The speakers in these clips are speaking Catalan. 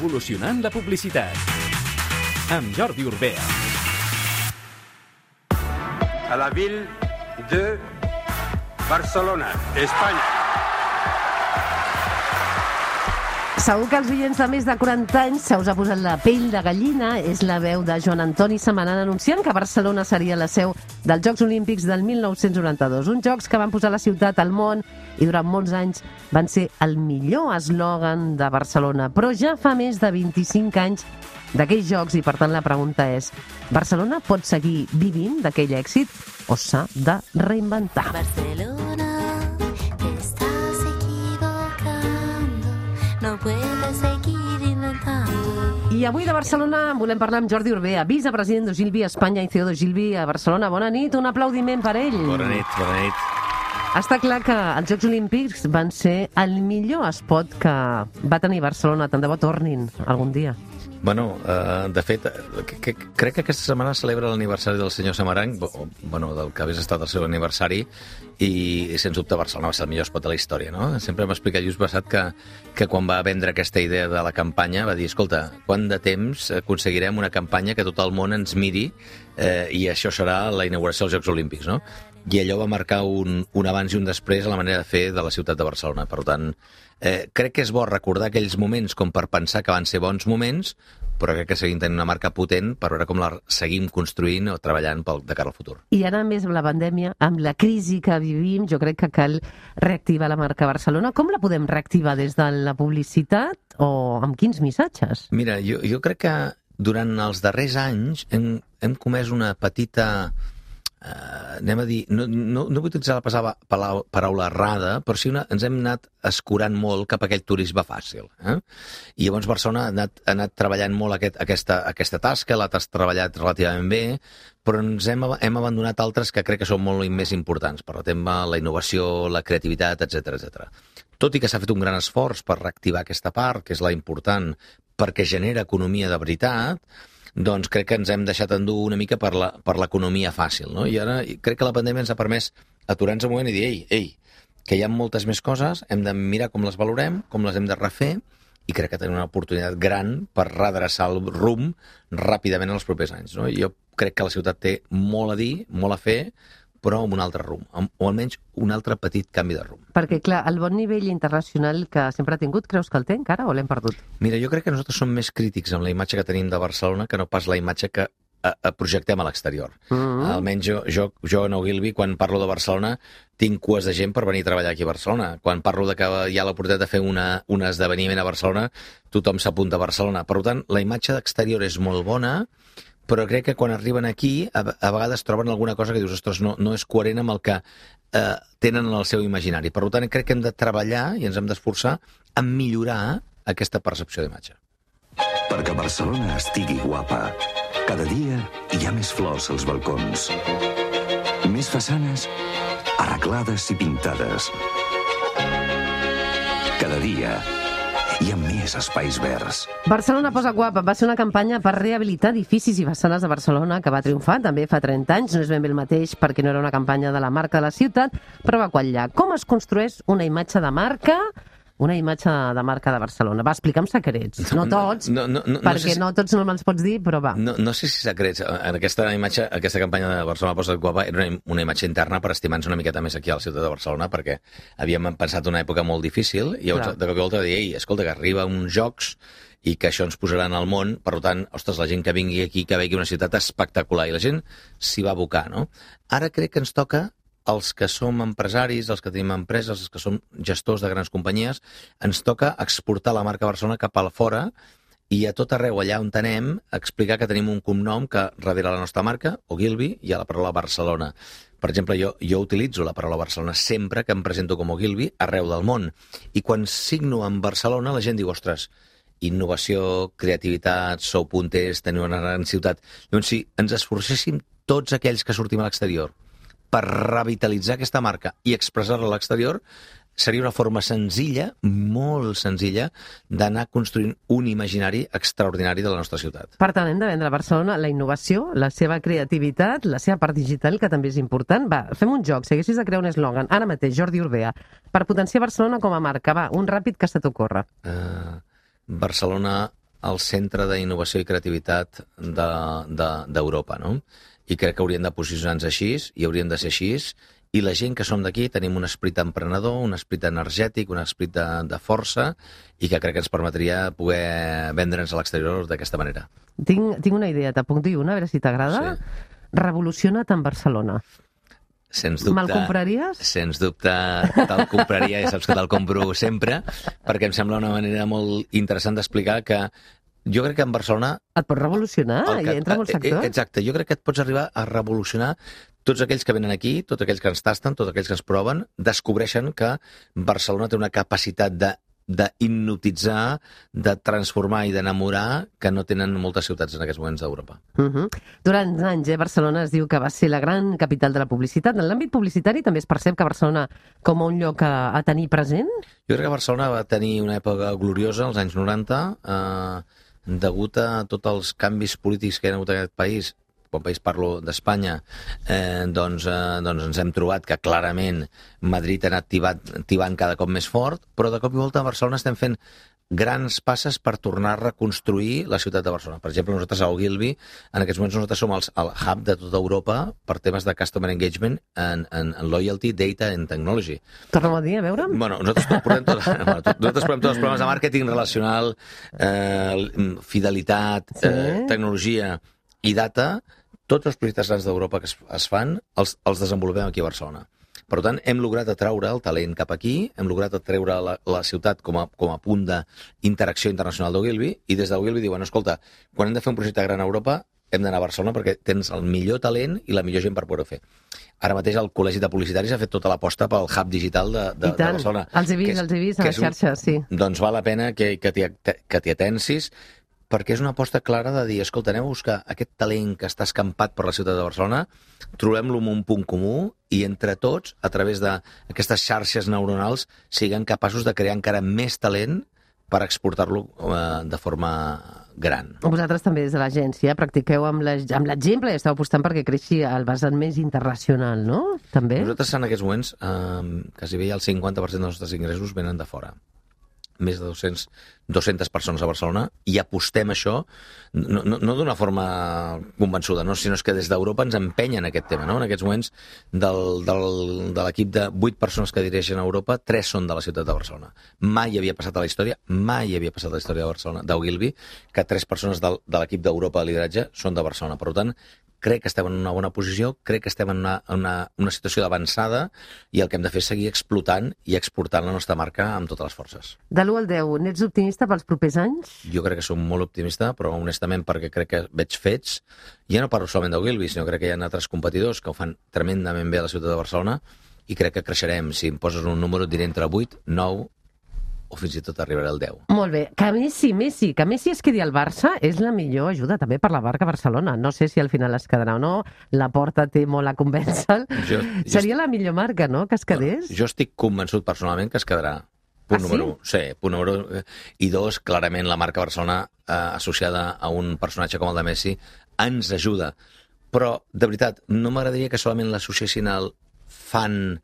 Revolucionant la publicitat. Amb Jordi Urbea. A la ville de Barcelona, Espanya. Segur que els oients de més de 40 anys se us ha posat la pell de gallina. És la veu de Joan Antoni Samanan anunciant que Barcelona seria la seu dels Jocs Olímpics del 1992. Uns jocs que van posar la ciutat al món i durant molts anys van ser el millor eslògan de Barcelona. Però ja fa més de 25 anys d'aquells jocs i, per tant, la pregunta és: Barcelona pot seguir vivint d'aquell èxit o s'ha de reinventar? Barcelona, te estás equivocando, no puedes seguir inventando. I avui de Barcelona volem parlar amb Jordi Urbea, vicepresident d'Ogilvy Espanya i CEO d'Ogilvy a Barcelona. Bona nit, un aplaudiment per ell. Bona nit, bona nit. Està clar que els Jocs Olímpics van ser el millor espot que va tenir Barcelona. Tant de bo tornin algun dia. Bueno, de fet, crec que aquesta setmana celebra l'aniversari del senyor Samaran, del que hagués estat el seu aniversari, i sens dubte Barcelona va ser el millor espot de la història, no? Sempre m'ha explicat just passat que quan va vendre aquesta idea de la campanya va dir: escolta, quant de temps aconseguirem una campanya que tot el món ens miri i això serà la inauguració dels Jocs Olímpics, no? I allò va marcar un abans i un després a la manera de fer de la ciutat de Barcelona. Per tant, crec que és bo recordar aquells moments com per pensar que van ser bons moments, però crec que seguim tenint una marca potent per veure com la seguim construint o treballant de cara al futur. I ara, més amb la pandèmia, amb la crisi que vivim, jo crec que cal reactivar la marca Barcelona. Com la podem reactivar? Des de la publicitat o amb quins missatges? Mira, jo crec que durant els darrers anys hem comès una petita... anem a dir, no vull utilitzar la paraula errada, però sí ens hem anat escurant molt cap a aquell turisme fàcil. I llavors Barcelona ha anat treballant molt aquesta tasca, l'ha treballat relativament bé, però ens hem abandonat altres que crec que són molt més importants, per exemple, la innovació, la creativitat, etc. Tot i que s'ha fet un gran esforç per reactivar aquesta part, que és la important, perquè genera economia de veritat, doncs crec que ens hem deixat endur una mica per l'economia fàcil, no? I ara crec que la pandèmia ens ha permès aturar-nos un moment i dir, ei, que hi ha moltes més coses, hem de mirar com les valorem, com les hem de refer, i crec que tenim una oportunitat gran per redreçar el rumb ràpidament en els propers anys, no? Jo crec que la ciutat té molt a dir, molt a fer, però amb un altre rumb, o almenys un altre petit canvi de rumb. Perquè, clar, el bon nivell internacional que sempre ha tingut, creus que el té encara o l'hem perdut? Mira, jo crec que nosaltres som més crítics amb la imatge que tenim de Barcelona que no pas la imatge que projectem a l'exterior. Almenys jo en Ogilvy, quan parlo de Barcelona, tinc cues de gent per venir a treballar aquí a Barcelona. Quan parlo de que hi ha l'oportunitat de fer un esdeveniment a Barcelona, tothom s'apunta a Barcelona. Per tant, la imatge d'exterior és molt bona, però crec que quan arriben aquí a vegades troben alguna cosa que dius, ostres, no és coherent amb el que tenen en el seu imaginari. Per tant, crec que hem de treballar i ens hem d'esforçar en millorar aquesta percepció d'imatge. Perquè Barcelona estigui guapa, cada dia hi ha més flors als balcons, més façanes arreglades i pintades. Cada dia hi ha més espais verds. Barcelona posa guapa va ser una campanya per rehabilitar edificis i façanes de Barcelona que va triomfar també fa 30 anys. No és ben bé el mateix perquè no era una campanya de la marca de la ciutat, però va quallar. Com es construeix una imatge de marca de Barcelona? Va, explica'm secrets. No tots, perquè no tots no me'ls pots dir, però va. No sé si secrets. En aquesta campanya de Barcelona posa guapa era una imatge interna per estimar-nos una miqueta més aquí a la ciutat de Barcelona, perquè havíem pensat una època molt difícil i llavors de cop i volta dir, escolta, que arriba uns jocs i que això ens posarà en el món, per tant, ostres, la gent que vingui aquí, que vegi una ciutat espectacular, i la gent s'hi va abocar, no? Ara crec que ens toca els que som empresaris, els que tenim empreses, els que som gestors de grans companyies, ens toca exportar la marca Barcelona cap a fora i a tot arreu allà on anem explicar que tenim un cognom que darrere la nostra marca, Ogilvy, hi ha la paraula Barcelona. Per exemple, jo utilitzo la paraula Barcelona sempre que em presento com Ogilvy arreu del món. I quan signo en Barcelona la gent diu, ostres, innovació, creativitat, sou punters, teniu una gran ciutat. Llavors, si ens esforcéssim tots aquells que sortim a l'exterior per revitalitzar aquesta marca i expressar-la a l'exterior, seria una forma senzilla, molt senzilla, d'anar construint un imaginari extraordinari de la nostra ciutat. Per tant, hem de vendre a Barcelona la innovació, la seva creativitat, la seva part digital, que també és important. Va, fem un joc, si haguessis de crear un eslògan, ara mateix, Jordi Urbea, per potenciar Barcelona com a marca. Va, un ràpid que se t'ocorre. Barcelona el centre d'innovació i creativitat d'Europa, no? I crec que hauríem de posicionar-nos així, i hauríem de ser així, i la gent que som d'aquí tenim un esperit emprenedor, un esperit energètic, un esperit de força, i que crec que ens permetria poder vendre'ns a l'exterior d'aquesta manera. Tinc una idea, t'apunto una, a veure si t'agrada. Sí. Revoluciona't en Barcelona. Sens dubte. Me'l compraries? Sens dubte te'l compraria, ja saps que te'l compro sempre, perquè em sembla una manera molt interessant d'explicar que jo crec que en Barcelona... Et pots revolucionar i entra en un sector? Exacte, jo crec que et pots arribar a revolucionar tots aquells que venen aquí, tots aquells que ens tasten, tots aquells que ens proven, descobreixen que Barcelona té una capacitat d'hipnotitzar, de transformar i d'enamorar que no tenen moltes ciutats en aquests moments d'Europa. Durant anys, Barcelona es diu que va ser la gran capital de la publicitat. En l'àmbit publicitari també es percep que Barcelona com un lloc a tenir present? Jo crec que Barcelona va tenir una època gloriosa, als anys 90, degut a tots els canvis polítics que hi ha hagut en aquest país. Quan país parlo d'Espanya, doncs ens hem trobat que clarament Madrid ha anat tibant cada cop més fort, però de cop i volta a Barcelona estem fent grans passes per tornar a reconstruir la ciutat de Barcelona. Per exemple, nosaltres a Ogilvy, en aquests moments nosaltres som el hub de tota Europa per temes de customer engagement en loyalty, data and technology. Tornem a dir, a veure? Bueno, nosaltres portem tots els programes de màrqueting relacional, fidelitat, tecnologia i data. Tots els projectes grans d'Europa que es fan els desenvolupem aquí a Barcelona. Per tant, hem lograt atraure el talent cap aquí, hem lograt atreure la ciutat com a punt d'interacció internacional d'Ogilvy, i des d'Ogilvy diuen, escolta, quan hem de fer un projecte gran a Europa, hem d'anar a Barcelona perquè tens el millor talent i la millor gent per poder-ho fer. Ara mateix el Col·legi de Publicitaris ha fet tota l'aposta pel hub digital de Barcelona. Els he vist a la xarxa, sí. Doncs val la pena que t'hi atensis, perquè és una aposta clara de dir, escolta, anem a buscar aquest talent que està escampat per la ciutat de Barcelona, trobem-lo en un punt comú i entre tots, a través d'aquestes xarxes neuronals, siguem capaços de crear encara més talent per exportar-lo de forma gran. Vosaltres també des de l'agència practiqueu amb l'exemple i esteu apostant perquè creixi el vessant més internacional, no? També? Nosaltres en aquests moments, quasi bé el 50% dels nostres ingressos venen de fora. Més de 200 persones a Barcelona, i apostem això, no d'una forma convençuda, no? Sinó que des d'Europa ens empenyen aquest tema. No? En aquests moments, de l'equip de 8 persones que dirigeixen a Europa, 3 són de la ciutat de Barcelona. Mai havia passat a la història de Barcelona, d'Ogilvy, que 3 persones de l'equip d'Europa de lideratge són de Barcelona. Per tant, crec que estem en una bona posició, crec que estem en una situació d'avançada, i el que hem de fer és seguir explotant i exportant la nostra marca amb totes les forces. De l'1 al 10, n'ets optimista pels propers anys? Jo crec que som molt optimista, però honestament perquè crec que veig fets. Ja no parlo solament d'Ogilvy, sinó crec que hi ha altres competidors que ho fan tremendament bé a la ciutat de Barcelona, i crec que creixerem. Si em poses un número, diré entre 8, 9, o fins i tot arribarà al 10. Molt bé. Que Messi es quedi al Barça és la millor ajuda també per la marca Barcelona. No sé si al final es quedarà o no, la Porta té molt a convèncer. Seria la millor marca, no?, que es quedés? Jo estic convençut personalment que es quedarà. Punt número 1. Sí, punt número 1. I 2, clarament la marca Barcelona associada a un personatge com el de Messi ens ajuda. Però, de veritat, no m'agradaria que solament l'associessin al fan,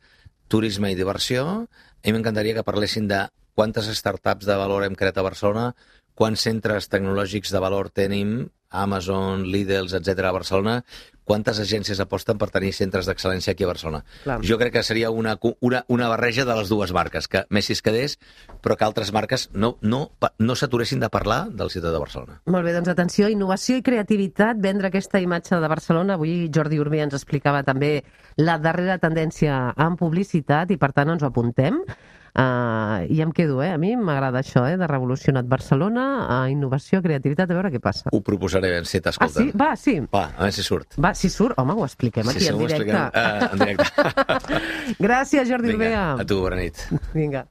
turisme i diversió. A mi m'encantaria que parlessin de quantes startups de valor hem creat a Barcelona, quants centres tecnològics de valor tenim, Amazon, Lidl, etc. a Barcelona, quantes agències aposten per tenir centres d'excel·lència aquí a Barcelona. Clar. Jo crec que seria una barreja de les dues marques, que Messi es quedés, però que altres marques no s'aturessin de parlar de la ciutat de Barcelona. Molt bé, doncs atenció, innovació i creativitat, vendre aquesta imatge de Barcelona. Avui Jordi Urbé ens explicava també la darrera tendència en publicitat, i per tant ens ho apuntem. I em quedo, a mi m'agrada això, de revolucionat Barcelona, innovació, creativitat, a veure què passa. Ho proposaré, si t'escolten. Ah, sí? Va, sí. Va, a veure si surt. Va, si surt, home, ho expliquem aquí en directe. En directe. Gràcies, Jordi Urbé. Vinga, a tu, bona nit. Vinga.